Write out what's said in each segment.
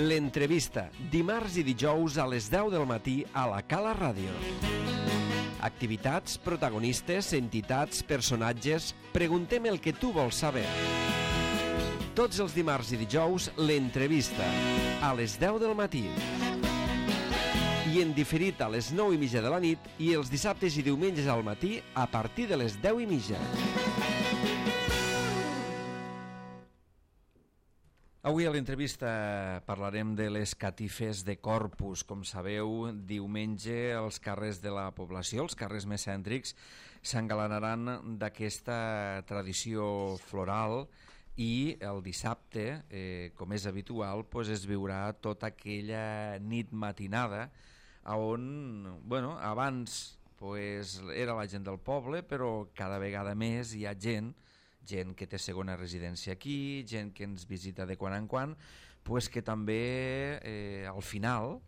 L'entrevista, dimarts i dijous a les 10 del matí a la Cala Ràdio. Activitats, protagonistes, entitats, personatges... Preguntem el que tu vols saber. Tots els dimarts i dijous, l'entrevista, a les 10 del matí. I en diferit a les 9:30 de la nit i els dissabtes i diumenges al matí a partir de les 10:30. Avui a l'entrevista parlarem de les catifes de Corpus. Com sabeu, diumenge els carrers de la població, els carrers més cèntrics, s'engalanaran d'aquesta tradició floral i el dissabte, com és habitual, es viurà tota aquella nit matinada on, abans era la gent del poble, però cada vegada més hi ha gent que té segona residència aquí, gent que ens visita de quan en quan, que també al final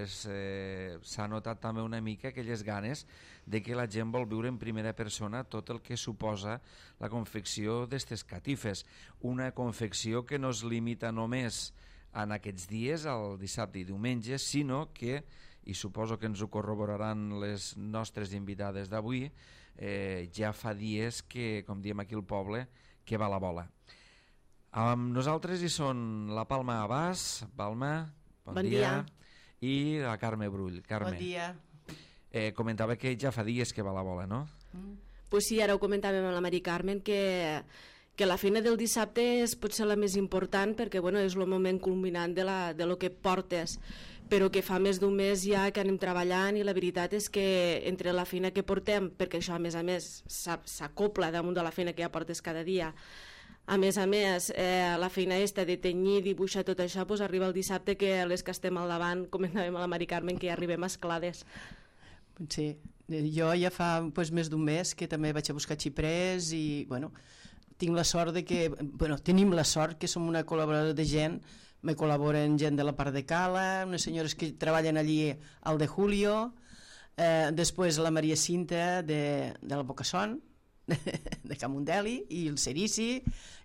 s'ha notat també una mica aquelles ganes de que la gent vol viure en primera persona tot el que suposa la confecció d'estes catifes. Una confecció que no es limita només en aquests dies, el dissabte i diumenge, sinó que, i suposo que ens ho corroboraran les nostres invitades d'avui, ja fa dies que, com diem aquí al poble, que va la bola. Amb nosaltres hi són la Palma Abàs. Palma, bon dia. I la Carme Brull. Carme. Bon dia. Comentava que ja fa dies que va la bola, no? Pues sí, ara ho comentàvem amb la Mari Carmen, que la feina del dissabte és potser la més important perquè és el moment culminant de lo que portes, però que fa més d'un mes ja que anem treballant i la veritat és que entre la feina que portem, perquè això a més s'acopla damunt de la feina que ja portes cada dia, a més la feina de tenyir, dibuixar, tot això, arriba el dissabte que les que estem al davant, comentàvem a la Mari Carmen, que ja arribem esclades. Sí, jo ja fa més d'un mes que també vaig a buscar xiprers i tinc la sort tenim la sort que som una col·laboradora de gent, me col·laboren gent de la part de Cala, unes senyores que treballen allí al de Julio, després la Maria Cinta de la Bocasson, de Camundeli, i el Cerici,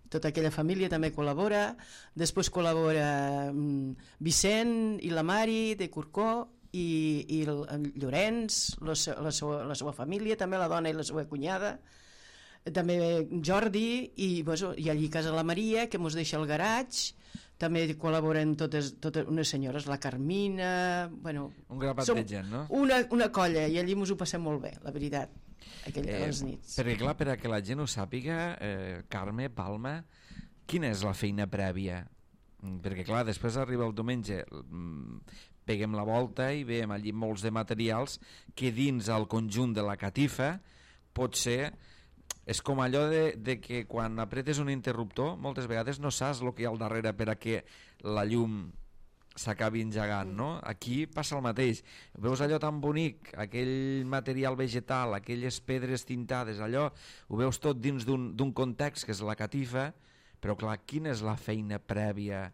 tota aquella família també col·labora, després col·labora Vicent i la Mari de Corcó, i el Llorenç, la seva família, també la dona i la seva cunyada, també Jordi i allí a casa la Maria, que mos deixa el garatge, també col·laboren totes unes senyores, la Carmina, un grapat de gent, no? Una colla, i allí mos ho passem molt bé, la veritat, aquelles nits. Perquè clar, per a que la gent ho sàpiga, Carme, Palma, quina és la feina prèvia? Perquè clar, després arriba el diumenge, peguem la volta i veiem allí molts de materials que dins el conjunt de la catifa potser és com allò de que quan apretes un interruptor moltes vegades no saps el que hi ha al darrere per a que la llum s'acabi engegant, no? Aquí passa el mateix, veus allò tan bonic, aquell material vegetal, aquelles pedres tintades, allò ho veus tot dins d'un context que és la catifa, però clar, quina és la feina prèvia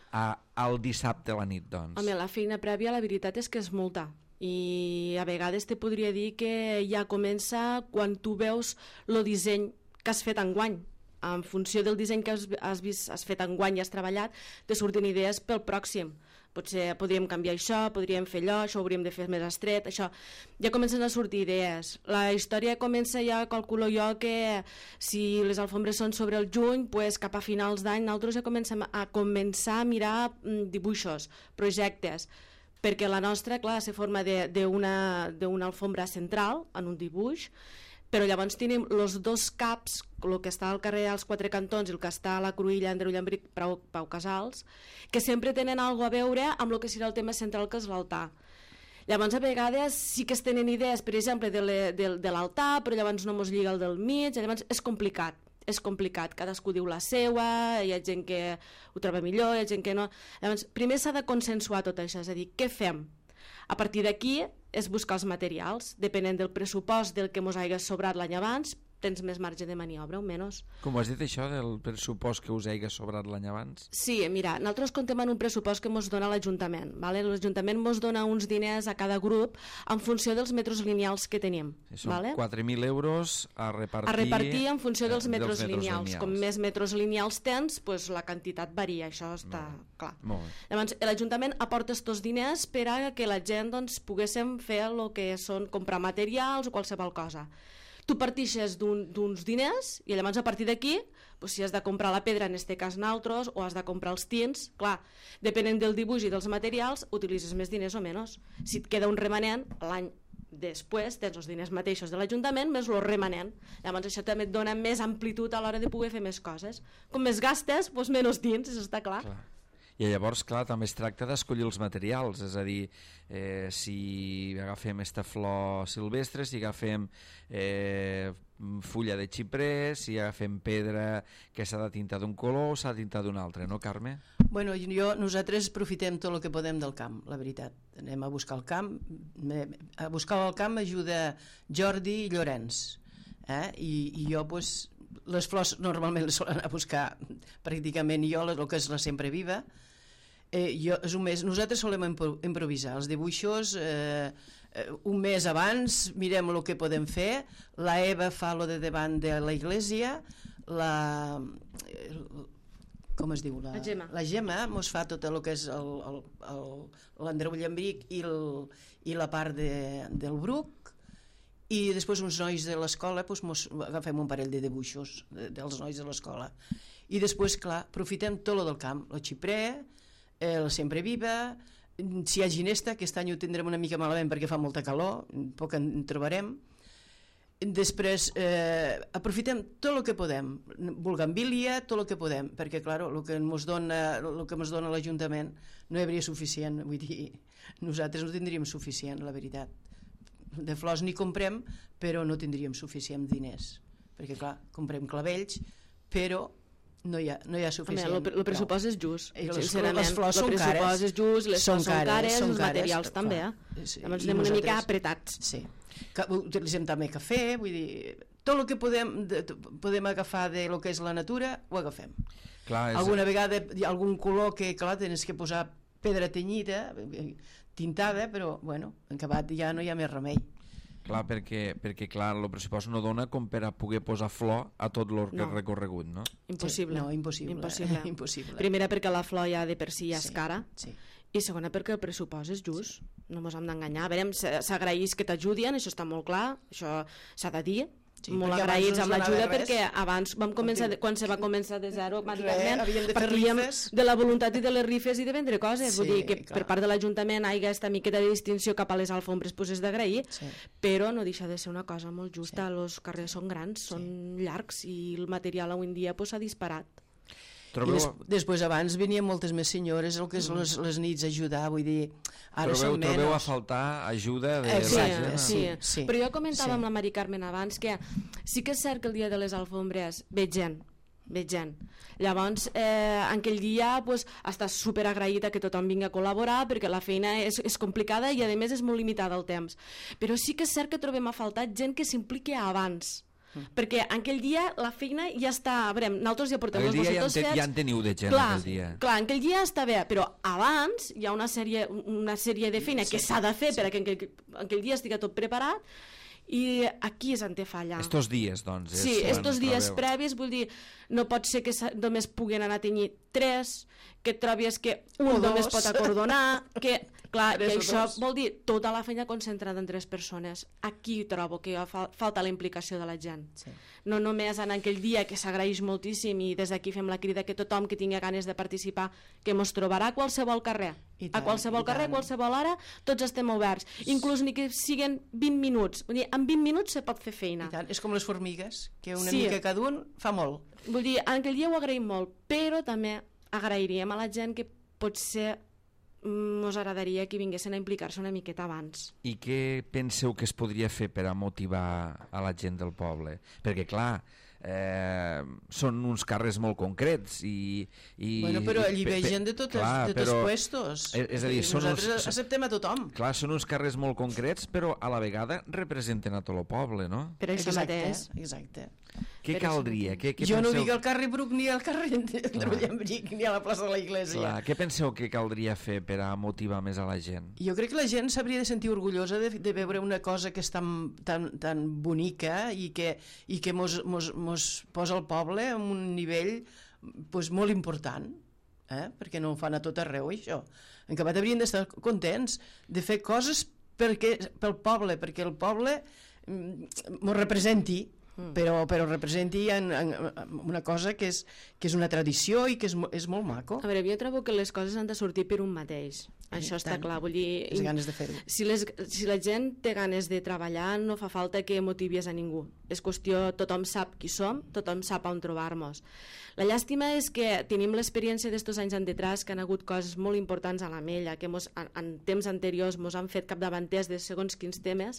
al dissabte a la nit, doncs? Home, la feina prèvia la veritat és que és molta, i a vegades te podria dir que ja comença quan tu veus el disseny que has fet enguany. En funció del disseny que has fet enguany i has treballat, te surten idees pel pròxim. Potser podríem canviar això, podríem fer allò, això ho hauríem de fer més estret, això. Ja comencen a sortir idees. La història comença ja, calculo jo, que si les alfombres són sobre el juny, cap a finals d'any nosaltres ja comencem a mirar dibuixos, projectes, perquè la nostra, clar, se forma d'una alfombra central en un dibuix, però llavors tenim els dos caps, el que està al carrer als Quatre Cantons i el que està a la Cruïlla, Andreu Llambric, Pau Casals, que sempre tenen alguna a veure amb el que serà el tema central, que és l'altar. Llavors a vegades sí que es tenen idees, per exemple, de l'altar, però llavors no mos lliga el del mig, llavors és complicat, cadascú diu la seua, hi ha gent que ho troba millor, hi ha gent que no. Llavors, primer s'ha de consensuar tot això, és a dir, què fem? A partir d'aquí és buscar els materials, depenent del pressupost del que mos hagi sobrat l'any abans, tens més marge de maniobra o menys. Com has dit això del pressupost que us hagi sobrat l'any abans? Sí, mira, nosaltres contem en un pressupost que ens dona l'Ajuntament. ¿Vale? L'Ajuntament ens dona uns diners a cada grup en funció dels metres lineals que tenim. Són ¿vale? 4.000 euros a repartir en funció dels metres lineals. Com més metres lineals tens, pues, la quantitat varia, això està clar. Llavors, l'Ajuntament aporta aquests diners per a que la gent doncs, poguéssim fer el que són comprar materials o qualsevol cosa. Tu partixes d'uns diners i llavors a partir d'aquí, pues, si has de comprar la pedra, en este cas naltros, o has de comprar els tins, clar, depenent del dibuix i dels materials, utilitzes més diners o menys. Si et queda un remanent, l'any després tens els diners mateixos de l'Ajuntament més el remanent. Llavors això també et dona més amplitud a l'hora de poder fer més coses. Com més gastes, doncs menys tins, això està clar. I llavors, clar, també es tracta d'escollir els materials, és a dir, si agafem esta flor silvestre, si agafem fulla de xiprer, si agafem pedra que s'ha de tintar d'un color o s'ha de tintar d'un altre, no, Carme? Bueno, nosaltres aprofitem tot el que podem del camp, la veritat. Anem a buscar el camp. A buscar el camp m'ajuda Jordi i Llorenç. I jo, doncs, les flors normalment les solen anar a buscar pràcticament jo, el que és la sempre viva. Nosaltres solem improvisar els dibuixos un mes abans, mirem el que podem fer. La Eva fa lo de davant de la iglesia, com es diu? La Gemma mos fa tot el que és l'Andreu Llambric i la part del Bruc, i després uns nois de l'escola mos agafem un parell de dibuixos dels nois de l'escola, i després, clar, aprofitem tot el del camp, el xiprer, la sempre viva, si hi ha ginesta, aquest any ho tindrem una mica malament perquè fa molta calor, poc en trobarem. Després aprofitem tot el que podem, bugambilia, tot el que podem, perquè clar, el que ens dona l'Ajuntament no hi hauria suficient, vull dir, nosaltres no tindríem suficient, la veritat. De flors n'hi comprem, però no tindríem suficient diners, perquè clar, comprem clavells, però no hi ha suficient. El pressupost és just, sincerament. Les flors són cares. El pressupost és just, les flors són cares, els materials també. Llavors anem una mica apretats. Sí. Utilitzem també cafè, vull dir, tot el que podem agafar de lo que és la natura, ho agafem. Alguna vegada hi ha algun color que, clar, tens que posar pedra tenyida, tintada, però, bueno, en acabat ja no hi ha més remei. Clar, perquè clar, el pressupost no dona com per a poder posar flor a tot el recorregut, no? Impossible. No, impossible. Primera perquè la flor ja de per si ja és cara, i segona perquè el pressupost és just, no ens hem d'enganyar. A veure, s'agraeix que t'ajudin, això està molt clar, això s'ha de dir, molt agraïts amb l'ajuda, perquè abans vam començar, quan se va començar de zero, partíem de la voluntat i de les rifes i de vendre coses, vull dir que per part de l'Ajuntament hi ha aquesta miqueta de distinció cap a les alfombres, doncs és d'agrair, però no deixa de ser una cosa molt justa. Els carrers són grans, són llargs, i el material avui en dia s'ha disparat. Després abans venien moltes més senyores, el que és les nits a ajudar, vull dir, ara són menys. Trobeu a faltar ajuda de la gent? Sí, però jo comentava amb la Mari Carmen abans que sí que és cert que el dia de les alfombres veig gent. Llavors, aquell dia estàs superagraïda que tothom vingui a col·laborar, perquè la feina és complicada i a més és molt limitada el temps, però sí que és cert que trobem a faltar gent que s'impliqui abans, perquè aquell dia la feina ja està, a veure, nosaltres ja portem els bossetos fets, ja en teniu de gent aquell dia. Clar, aquell dia està bé, però abans hi ha una sèrie de feina que s'ha de fer perquè aquell dia estigui tot preparat, i aquí és on té falla. Estos dies, doncs. Sí, estos dies previs, vull dir, no pot ser que només puguen anar a tenyir 3, que et trobis que un només pot acordonar, que, clar, i això vol dir tota la feina concentrada en 3 persones. Aquí trobo que falta la implicació de la gent. No només en aquell dia, que s'agraeix moltíssim, i des d'aquí fem la crida que tothom que tingui ganes de participar, que mos trobarà a qualsevol carrer. A qualsevol carrer, a qualsevol hora, tots estem oberts. Inclús ni que siguin 20 minuts. Vull dir, en 20 minuts se pot fer feina. És com les formigues, que una mica cada un fa molt. Vull dir, aquell dia ho agraïm molt, però també agrairíem a la gent que potser ens agradaria que vinguessin a implicar-se una miqueta abans. I què penseu que es podria fer per a motivar a la gent del poble? Perquè, clar, són uns carrers molt concrets bueno, però allí ve gent de tots puestos. És a dir, nosaltres acceptem a tothom. Clar, són uns carrers molt concrets, però a la vegada representen a tot el poble, no? Per això mateix. Exacte. Què caldria? Jo no dic al carrer Bruc ni al carrer Trullambric ni a la plaça de la Iglesia. Clar, què penseu que caldria fer per a motivar més a la gent? Jo crec que la gent s'hauria de sentir orgullosa de veure una cosa que és tan bonica i que mos posa el poble en un nivell pues, molt important, perquè no ho fan a tot arreu, això. En acabat haurien d'estar contents de fer coses pel poble, perquè el poble mos representi, però representi en una cosa que és una tradició i que és molt maco. A veure, jo trobo que les coses han de sortir per un mateix. Això està clar, vull dir... Les ganes de fer-ho. Si la gent té ganes de treballar, no fa falta que motivis a ningú. És qüestió, tothom sap qui som, tothom sap on trobar-nos. La llàstima és que tenim l'experiència d'estos anys endetrás, que han hagut coses molt importants a l'Ametlla, que en temps anteriors ens han fet capdavanters de segons quins temes,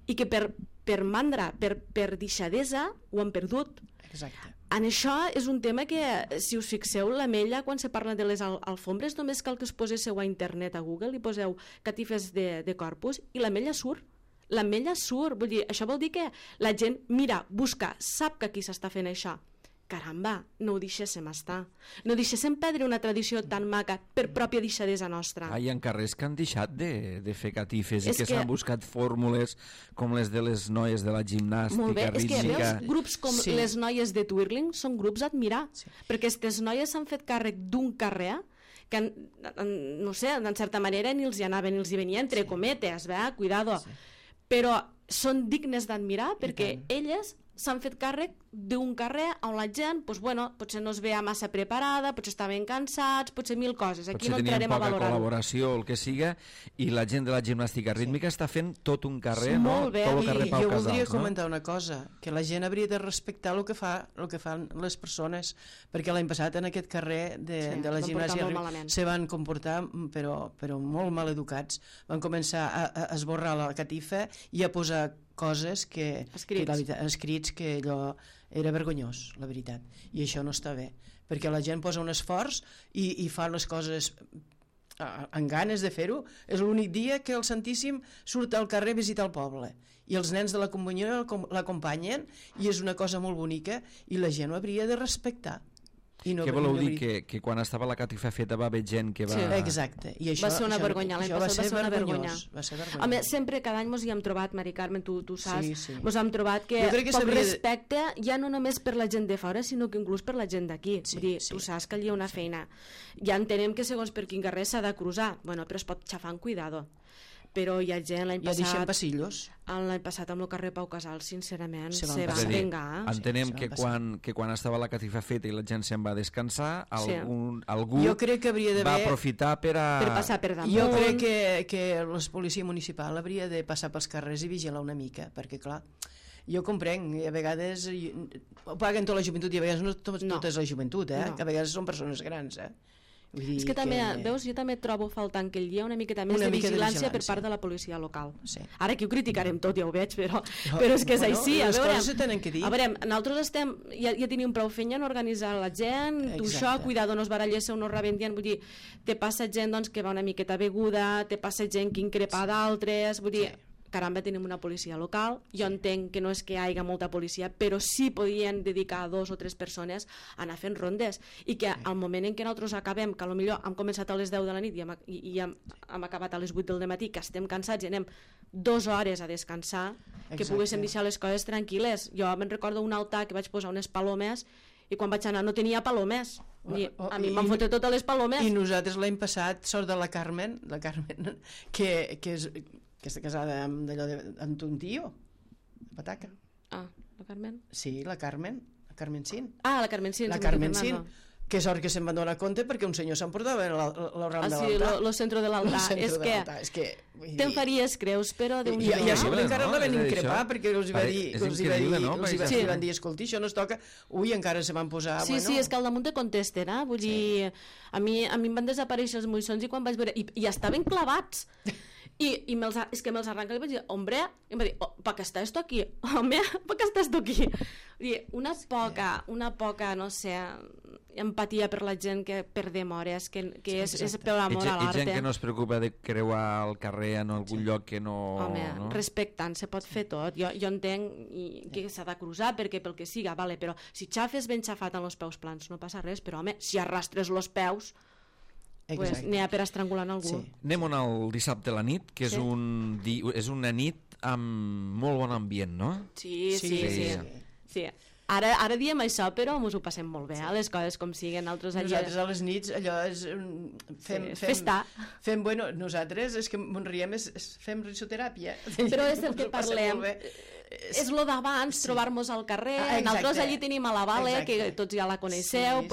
i que per mandra, per deixadesa, ho han perdut. Exacte. En això és un tema que, si us fixeu, l'Ametlla, quan se parla de les alfombres, només cal que us poseu a internet, a Google, i poseu catifes de corpus, i l'Ametlla surt. L'Ametlla surt, vull dir, això vol dir que la gent mira, busca, sap que aquí s'està fent això. Caramba, no ho deixéssim estar. No deixéssim perdre una tradició tan maca per pròpia deixadesa nostra. Hi ha carrers que han deixat de fer catifes i que s'han buscat fórmules com les de les noies de la gimnàstica molt bé, rítmica. És que veus, grups com les noies de Twirling són grups a admirar, perquè aquestes noies s'han fet càrrec d'un carrer que, no sé, d'en certa manera ni els hi anava ni els hi venia, entre cometes, cuidado. Però són dignes d'admirar perquè elles s'han fet càrrec d'un carrer on la gent, doncs, bueno, potser no es veia massa preparada, potser estaven cansats, potser mil coses. Aquí no entrarem a valorar. Potser tenien poca col·laboració o el que siga, i la gent de la gimnàstica rítmica està fent tot un carrer, no? Molt bé. Tot el carrer Pau Jo Casals, voldria comentar una cosa, que la gent hauria de respectar el que fan les persones, perquè l'any passat en aquest carrer de la gimnàstica se van comportar però molt mal educats. Van començar a esborrar la catifa i a posar coses escrits que allò era vergonyós, la veritat, i això no està bé, perquè la gent posa un esforç i fa les coses amb ganes de fer-ho. És l'únic dia que el Santíssim surt al carrer a visitar el poble i els nens de la comunió l'acompanyen i és una cosa molt bonica i la gent ho hauria de respectar. Què voleu dir? Que quan estava la catifa feta va haver gent que va... Sí, exacte. I això, va ser una vergonya, l'any passat va ser una vergonya. Home, sempre, cada any ens hi hem trobat, Mari Carmen, tu saps, ens hem trobat que poc respecte, ja no només per la gent de fora, sinó que inclús per la gent d'aquí. Tu saps que allà hi ha una feina. Ja entenem que segons per quin carrer s'ha de cruzar, bueno, però es pot xafar amb cuidado. Però hi ha gent l'any passat... Ja deixem passillos. L'any passat amb el carrer Pau Casals, sincerament, se va vengar. Entenem que quan estava la catifa feta i la gent se'n va descansar, algú va aprofitar per passar per damunt. Jo crec que la policia municipal hauria de passar pels carrers i vigilar una mica, perquè clar, jo comprenc, a vegades ho paguen tota la joventut i a vegades no tota és la joventut, que a vegades són persones grans, És que també, veus, jo també trobo faltant que hi ha una miqueta més de vigilància per part de la policia local. Ara aquí ho criticarem tot, ja ho veig, però és que és així. Les coses se tenen que dir. A veure, nosaltres ja tenim prou feina en organitzar la gent, tu això, cuidado, no es barallés o no rebentien, vull dir, te passa gent que va una miqueta beguda, te passa gent que increpa d'altres, vull dir, caramba, tenim una policia local, jo entenc que no és que hi hagi molta policia, però sí podien dedicar 2 o 3 persones a anar fent rondes, i que al moment en què nosaltres acabem, que potser hem començat a les 10 de la nit i hem acabat a les 8 del matí, que estem cansats i anem 2 hores a descansar, que poguéssim deixar les coses tranquil·les. Jo me'n recordo un altar que vaig posar unes palomes i quan vaig anar no tenia palomes. A mi m'han fotut totes les palomes. I nosaltres l'any passat, sort de la Carmen que està casada amb ton tio, Pataca. La Carmen? Sí, la Carmen Cin. La Carmen Cin. La Carmen Cin, que sort que se'n van donar compte perquè un senyor s'emportava l'oram de l'altar. El centre de l'altar. És que te'n faries creus, però Déu n'hi do. I a sobre encara la van increpar perquè els van dir, escolti, això no es toca. Ui, encara se van posar... Sí, és que al damunt te contesten, vull dir, a mi em van desaparèixer els moixons i quan vaig veure... I estaven clavats. és que me'ls arranca i vaig dir, hombre, i em va dir, ¿para qué está esto aquí? Home, ¿para qué está esto aquí? Dir, una poca, no sé, empatia per la gent que perdem hores, que és per l'amor a l'art. I gent que no es preocupa de creuar el carrer en algun lloc que no... Home, respectant, se pot fer tot. Jo entenc que s'ha de cruzar perquè pel que siga, vale, però si xafes ben xafat amb els peus plans no passa res, però home, si arrastres els peus... Pues n'hi ha per estrangulant algú. Sí. Anem al dissabte a la nit, que és una nit amb molt bon ambient, no? Sí. Ara diem això, però ens ho passem molt bé, les coses com siguen. Nosaltres a les nits, allò és... Festa. Nosaltres, és que ens riem, fem risoteràpia. Però és el que parlem. És lo d'abans, trobar-nos al carrer. Nosaltres allí tenim a la Vale, que tots ja la coneixeu,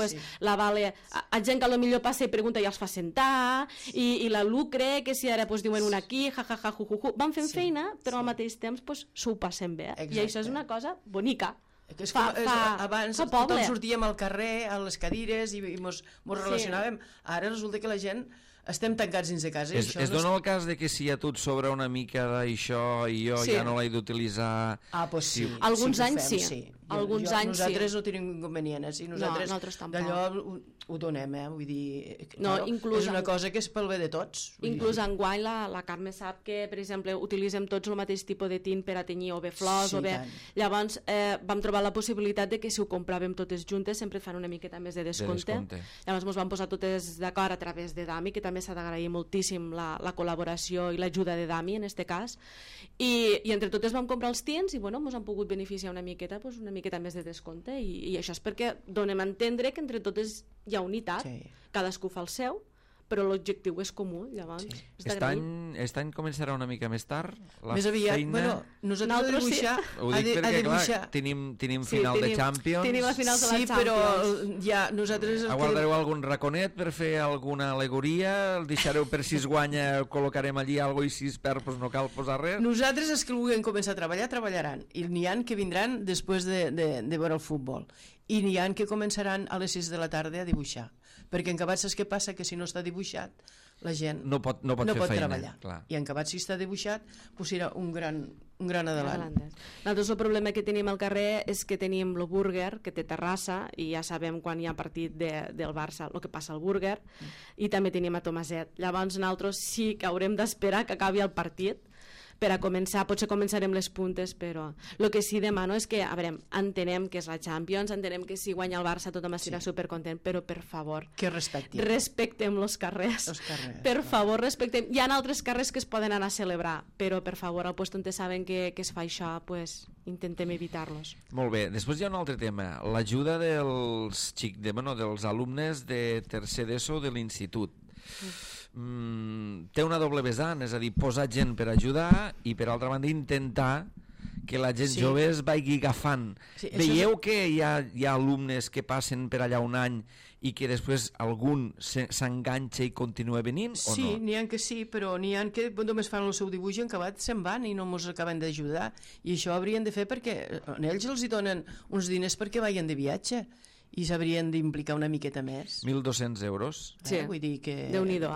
la Vale, a gent que potser passa i pregunta i els fa sentar, i la Lucre, que si ara diuen una aquí, jajaja, jujuju, van fent feina, però al mateix temps s'ho passem bé, i això és una cosa bonica. Abans tothom sortíem al carrer, a les cadires, i mos relacionàvem. Ara resulta que la gent estem tancats dins de casa. Es dona el cas de que si a tu et sobra una mica d'això i jo ja no l'he d'utilitzar... Doncs sí. Alguns anys sí. Nosaltres no tenim inconvenients. I nosaltres d'allò ho donem, vull dir... És una cosa que és pel bé de tots. Inclús enguany la Carme sap que, per exemple, utilitzem tots el mateix tipus de tint per a tenyir o bé flors o bé... Llavors vam trobar la possibilitat de que si ho compràvem totes juntes sempre fan una miqueta més de descompte. Llavors ens vam posar totes d'acord a través de Dami, que també s'ha d'agrair moltíssim la col·laboració i l'ajuda de Dami en este cas, i entre totes vam comprar els tints i ens han pogut beneficiar una miqueta més de descompte, i això és perquè donem a entendre que entre totes hi ha unitat, cadascú fa el seu, però l'objectiu és comú, llavors Aquest any començarà una mica més tard la més aviat, feina... nosaltres de dibuixar ho dic perquè clar, tenim final de Champions, tenim la final de la Champions, però ja nosaltres aguardareu algun raconet per fer alguna alegoria, el deixareu per si es guanya, col·locarem allí alguna cosa i si es perd no cal posar res. Nosaltres els que vulguem començar a treballar, treballaran, i n'hi ha que vindran després de veure el futbol, i n'hi ha que començaran a les 6 de la tarda a dibuixar, perquè en Cabat saps què passa? Que si no està dibuixat la gent no pot fer feina, treballar, clar. I en Cabat si està dibuixat serà un gran adelant. Nosaltres el problema que tenim al carrer és que tenim el búrguer, que té terrassa, i ja sabem quan hi ha partit del Barça el que passa al búrguer, i també tenim a Tomaset. Llavors nosaltres sí que haurem d'esperar que acabi el partit per a començar, potser començarem les puntes, però el que sí demano és que, a veure, entenem que és la Champions, entenem que si guanya el Barça tothom estarà supercontent, però per favor, que respectem els carrers. Per favor, respectem. Hi ha altres carrers que es poden anar a celebrar, però per favor, al lloc on saben que es fa això, pues, intentem evitar-los. Molt bé, després hi ha un altre tema, l'ajuda dels alumnes de tercer d'ESO de l'institut. Té una doble vessant, és a dir, posar gent per ajudar i per altra banda intentar que la gent jove es vagi agafant. Veieu que hi ha alumnes que passen per allà un any i que després algun s'enganxa i continua venint o no? Sí, n'hi ha que sí, però n'hi ha que només fan el seu dibuix i en acabat se'n van i no ens acaben d'ajudar, i això haurien de fer perquè ells els donen uns diners perquè vagin de viatge i s'haurien d'implicar una miqueta més. 1.200 euros. Sí, vull dir que... Déu-n'hi-do,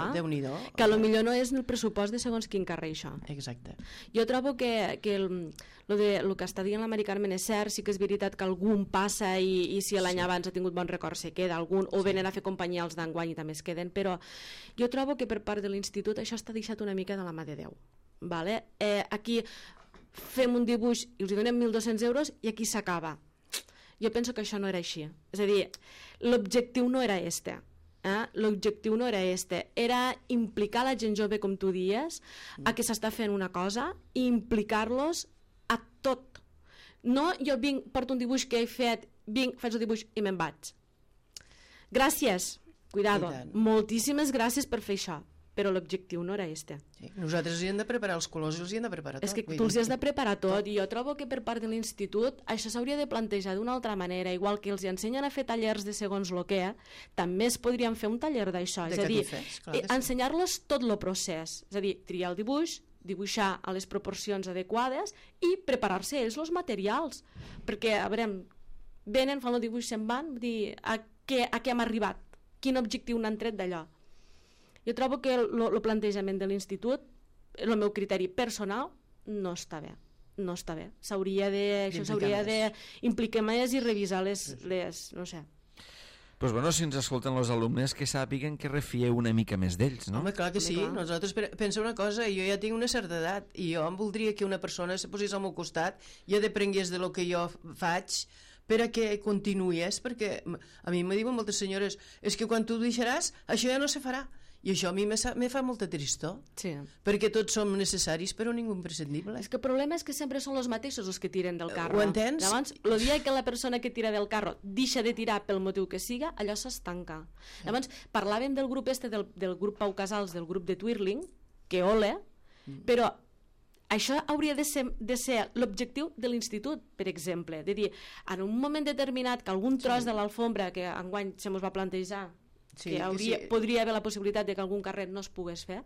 que potser no és el pressupost de segons quin carrer, això. Exacte. Jo trobo que el que està dient la Mari Carmen és cert, sí que és veritat que algun passa i si l'any abans ha tingut bon record se queda algun, o venen a fer companyia els d'enguany i també es queden, però jo trobo que per part de l'institut això està deixat una mica de la mà de Déu. Aquí fem un dibuix i els donem 1.200 euros i aquí s'acaba. Jo penso que això no era així. És a dir, l'objectiu no era este. L'objectiu no era este. Era implicar la gent jove, com tu dies, a que s'està fent una cosa i implicar-los a tot. No, jo porto un dibuix que he fet, faig el dibuix i me'n vaig. Gràcies, cuidado. Moltíssimes gràcies per fer això. Però l'objectiu no era este. Nosaltres els hem de preparar els colors i els hem de preparar tot. És que tu els has de preparar tot, i jo trobo que per part de l'institut això s'hauria de plantejar d'una altra manera, igual que els ensenyen a fer tallers de segons lo que, també es podrien fer un taller d'això, és a dir, ensenyar-los tot el procés, és a dir, triar el dibuix, dibuixar a les proporcions adequades i preparar-se ells els materials, perquè, a veure, venen, fan el dibuix, se'n van, dir a què hem arribat, quin objectiu n'han tret d'allò. Jo trobo que el plantejament de l'institut el meu criteri personal, no està bé. No està bé. Això s'hauria d'implicar més i revisar les no sé. Pues bueno, si ens escolten els alumnes, que sàpiguen que refieu una mica més d'ells, no? Home, clar que sí. Nosaltres, pensa una cosa, jo ja tinc una certa edat i jo em voldria que una persona se posés al meu costat i deprengués de lo que jo faig per a que continuïs, perquè a mi me diuen moltes senyores, és que quan tu deixaràs, això ja no se farà. I això a mi me fa molta tristor, sí. Perquè tots som necessaris però ningú imprescindible. És que el problema és que sempre són els mateixos els que tiren del carro. Ho entens? Llavors, el dia que la persona que tira del carro deixa de tirar pel motiu que siga, allò s'estanca. Llavors, parlàvem del grup del grup Pau Casals, del grup de Twirling, que ole, però això hauria de ser l'objectiu de l'institut, per exemple, de dir, en un moment determinat que algun tros de l'alfombra que enguany se mos va plantejar, podria haver la possibilitat de que algun carret no es pogués fer,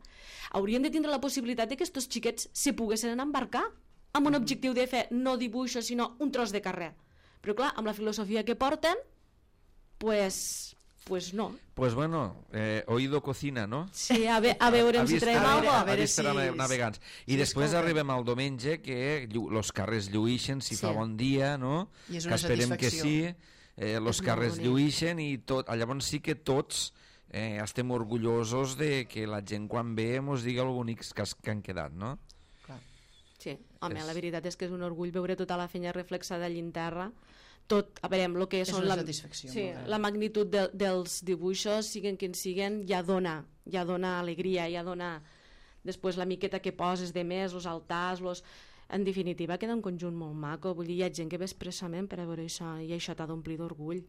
hauríem de tindre la possibilitat de que aquests xiquets se poguessin embarcar amb un objectiu de fer no dibuixos sinó un tros de carrer, però clar, amb la filosofia que porten pues no. Pues bueno, oído cocina, no? Sí, a veure si traiem alguna cosa. A veure navegants. I després arribem al diumenge que els carrers lluïxen si fa bon dia, no? I és una satisfacció. Que esperem que sí. Els carrers lluïxen i tot, llavors sí que tots estem orgullosos de que la gent quan ve ens digui els bonics que han quedat, no? Sí, home, la veritat és que és un orgull veure tota la feina reflexada allà en terra, tot, a veure, el que són la magnitud dels dibuixos, siguen quins siguen, ja dona alegria, ja dona després la miqueta que poses de més, els altars, en definitiva queda un conjunt molt maco, vull dir, hi ha gent que ve expressament per a veure això i això t'ha d'omplir d'orgull,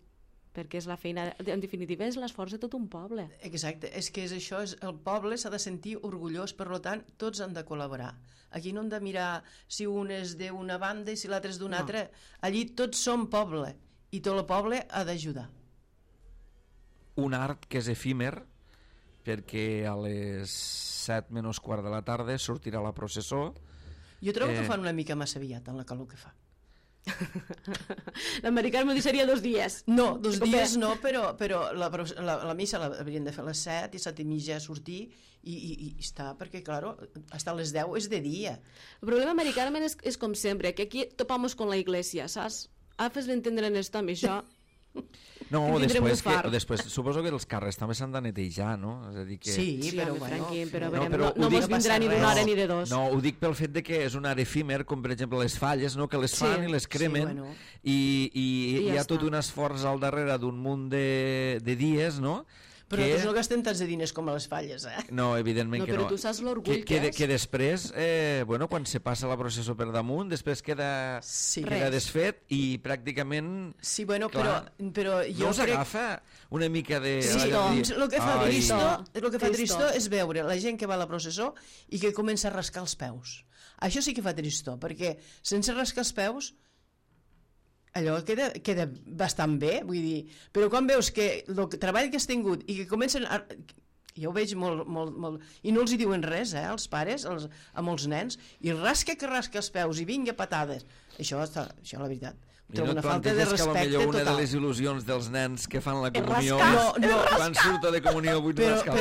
perquè és la feina, en definitiva és l'esforç de tot un poble. Exacte, és que és això, el poble s'ha de sentir orgullós, per tant tots han de col·laborar. Aquí no hem de mirar si un és d'una banda i si l'altre és d'una altra, allí tots som poble i tot el poble ha d'ajudar. Un art que és efímer, perquè a les 7 menys quart de la tarda sortirà la processó. Jo trobo que fan una mica massa aviat en la calor que fa. L'americà m'ho deixaria 2 dies. No, 2 dies no, però la missa l'haurien de fer a les 7 i 7 i mitja sortir i està, perquè, claro, hasta les 10 és de dia. El problema americà és com sempre, que aquí topamos con la iglesia, saps? Fes-li entendre en esto, amb això... No, després suposo que els carrers també s'han de netejar, no? És a dir que... Sí, però bueno... No mos vindrà ni d'una hora ni de 2. No, ho dic pel fet de que és un art efímer, com per exemple les falles, no? Que les fan i les cremen, i hi ha tot un esforç al darrere d'un munt de dies, no? Però nosaltres no gastem tants de diners com a les falles, eh? No, evidentment que no. Però tu saps l'orgull que és. Que després, quan se passa la processó per damunt, després queda desfet i pràcticament... Sí, bueno, però jo no us agafa una mica de... Sí, doncs, el que fa tristor és veure la gent que va a la processó i que comença a rascar els peus. Això sí que fa tristor, perquè sense rascar els peus allò queda bastant bé, vull dir, però quan veus que el treball que has tingut i que comencen a... Jo ho veig molt... I no els hi diuen res, els pares, amb els nens, i rasca els peus i vinga patades. Això la veritat. I no et planteges que potser una de les il·lusions dels nens que fan la comunió quan surto de comunió vull rascar.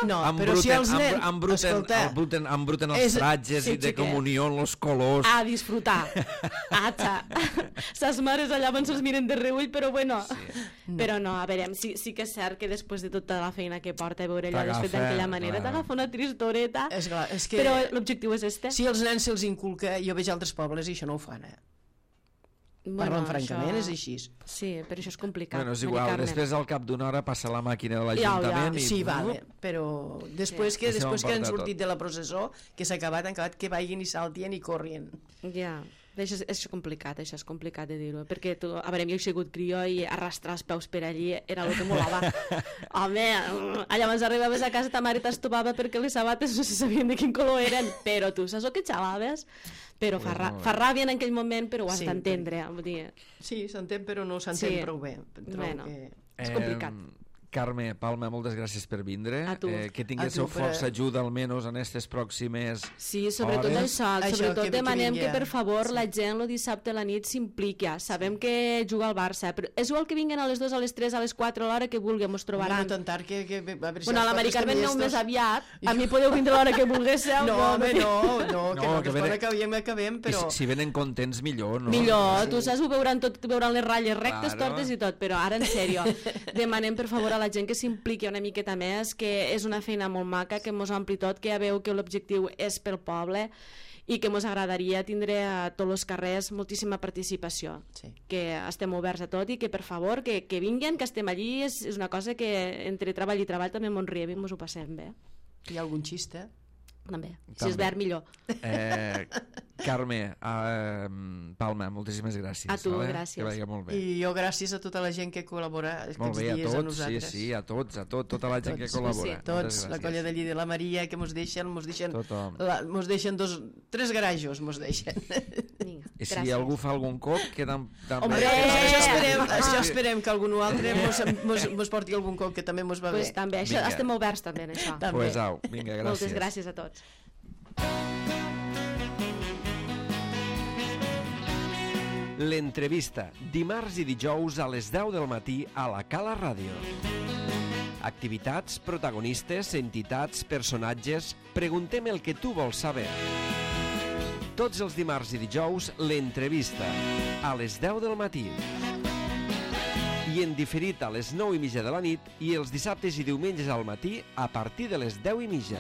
No, però si els nens... Embruten els tratges i de comunió, els colors... A disfrutar. Ses mares allà abans els miren de reull, però bueno... Però no, a veure, sí que és cert que després de tota la feina que porta a veure allò desfet d'aquella manera t'agafa una tristoreta, però l'objectiu és este. Si els nens se'ls inculca, jo veig altres pobles i això no ho fan, Parlant francament, és així. Sí, però això és complicat. Bueno, és igual, després al cap d'una hora passa la màquina de l'Ajuntament i... Sí, vale, però després que han sortit de la processó, que s'ha acabat, que vagin i saltien i corrien. Ja, això és complicat de dir-ho, perquè tu, a veure, jo he sigut crió i arrastrar els peus per allí era el que molava. Home, allà abans arribaves a casa ta mare t'estopava perquè les sabates no se sabien de quin color eren, però tu saps el que xalaves? Però fa ràbia en aquell moment, però ho has d'entendre. Sí, s'entén, però no s'entén prou bé. Bueno, és complicat. Carme, Palma, moltes gràcies per vindre. A tu. Que tinguéssiu força ajuda, almenys, en aquestes pròximes Sí, sobretot hores. això. Sobretot que demanem vingui, que, per favor, la gent el dissabte a la nit s'impliqui. Sabem que juga al Barça, però és igual que vinguin a les 2, a les 3, a les 4, a l'hora que vulguem, us trobaran. No tan tard que a veure si Bueno, a la Mari Carmen aneu més estos- aviat. A mi podeu vindre a l'hora que volguéssiu. No, home, no, que que venen- quan acabem, però... I si venen contents, millor, no? Millor, tu saps, ho veuran tot, veuran les ratlles rectes, Claro. tortes i tot, però ara en sèrio, demanem per favor a la gent que s'impliqui una miqueta més, que és una feina molt maca, que mos ampli tot, que ja veu que l'objectiu és pel poble i que mos agradaria tindre a tots els carrers moltíssima participació, Sí. que estem oberts a tot i que per favor que vinguin, que estem allí, és una cosa que entre treball i treball també mos riem i mos ho passem bé. Hi ha algun xiste? També. Si També. és verd, millor. Carme, Palma, moltíssimes gràcies. A tu, vale? gràcies. Que vagi molt bé. I jo gràcies a tota la gent que col·labora Molt aquests bé, a dies tots, a nosaltres. sí, a tots, tota la gent que col·labora. sí. Tots, Moltes la gràcies. colla de Lli de la Maria, que mos deixen Tothom. mos deixen tres garajos, mos deixen. Vinga, I si gràcies. algú fa algun cop, que també... Hombre! Això esperem que algun altre mos porti algun cop, que també mos va Pues bé. també, això, Vinga. estem oberts també en això. També. Pues au, vinga, gràcies. Moltes gràcies a tots. L'entrevista, dimarts i dijous a les 10 del matí a la Cala Ràdio. Activitats, protagonistes, entitats, personatges... Preguntem el que tu vols saber. Tots els dimarts i dijous, l'entrevista, a les 10 del matí. I en diferit a les 9:30 de la nit i els dissabtes i diumenges al matí a partir de les 10:30.